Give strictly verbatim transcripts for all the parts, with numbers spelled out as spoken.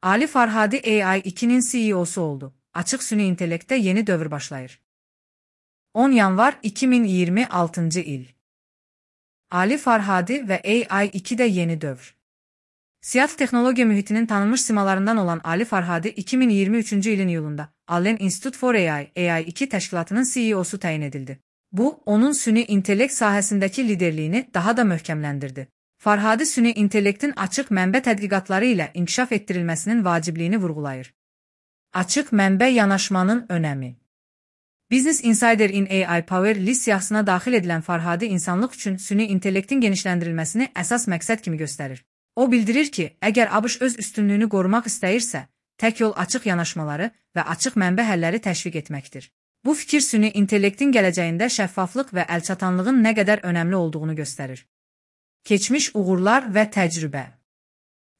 Ali Farhadi A I ikinin C E O'su oldu. Açıq süni intellektdə yeni dövr başlayır. on yanvar iki min iyirmi altıncı il. Ali Farhadi və A I ikidə yeni dövr. Seattle texnologiya mühitinin tanınmış simalarından olan Ali Farhadi iki min iyirmi üçüncü ilin iyulunda Allen Institute for A I, A I iki təşkilatının C E O'su təyin edildi. Bu, onun süni intellekt sahəsindəki liderliyini daha da möhkəmləndirdi. Farhadi süni intellektin açıq mənbə tədqiqatları ilə inkişaf etdirilməsinin vacibliyini vurğulayır. Açıq mənbə yanaşmanın önəmi. Business Insider in A I Power list siyahısına daxil edilən Farhadi insanlıq üçün süni intellektin genişləndirilməsini əsas məqsəd kimi göstərir. O bildirir ki, əgər ABŞ öz üstünlüyünü qorumaq istəyirsə, tək yol açıq yanaşmaları və açıq mənbə həlləri təşviq etməkdir. Bu fikir süni intellektin gələcəyində şəffaflıq və əlçatanlığın nə qədər önəmli olduğunu göstərir. Keçmiş uğurlar və təcrübə.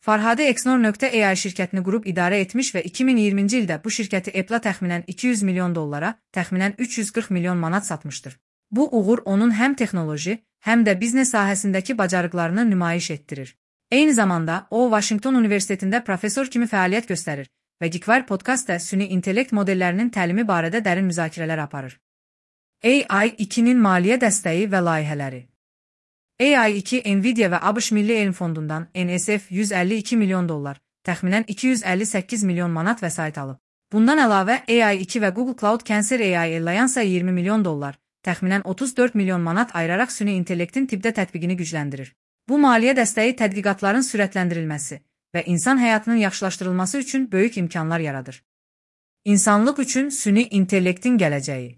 Farhadi Exnor nöqtə A I şirkətini qurub idarə etmiş və iki min iyirminci ildə bu şirkəti Apple-a təxminən iki yüz milyon dollara, təxminən üç yüz qırx milyon manat satmışdır. Bu uğur onun həm texnoloji, həm də biznes sahəsindəki bacarıqlarını nümayiş etdirir. Eyni zamanda, o, Washington Universitetində professor kimi fəaliyyət göstərir və Geekwire podkastda süni intellekt modellərinin təlimi barədə dərin müzakirələr aparır. A I ikinin maliyyə dəstəyi və layihələri. A I iki Nvidia və ABŞ Milli Elm Fondundan N S F yüz əlli iki milyon dollar, təxminən iki yüz əlli səkkiz milyon manat vəsait alıb. Bundan əlavə, A I iki və Google Cloud Cancer A I Alliance iyirmi milyon dollar, təxminən otuz dörd milyon manat ayıraraq süni intellektin tibbdə tətbiqini gücləndirir. Bu maliyyə dəstəyi tədqiqatların sürətləndirilməsi və insan həyatının yaxşılaşdırılması üçün böyük imkanlar yaradır. İnsanlıq üçün süni intellektin gələcəyi.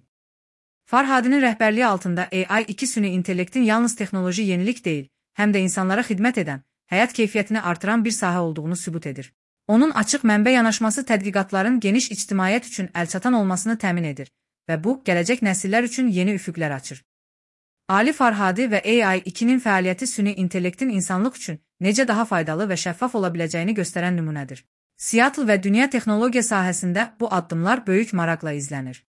Farhadinin rəhbərliyi altında A I iki süni intellektin yalnız texnoloji yenilik deyil, həm də insanlara xidmət edən, həyat keyfiyyətini artıran bir sahə olduğunu sübut edir. Onun açıq mənbə yanaşması tədqiqatların geniş ictimaiyyət üçün əlçatan olmasını təmin edir və bu, gələcək nəsillər üçün yeni üfüqlər açır. Ali Farhadi və A I ikinin fəaliyyəti süni intellektin insanlıq üçün necə daha faydalı və şəffaf ola biləcəyini göstərən nümunədir. Seattle və dünya texnologiya sahəsində bu addımlar böyük maraqla izlənir.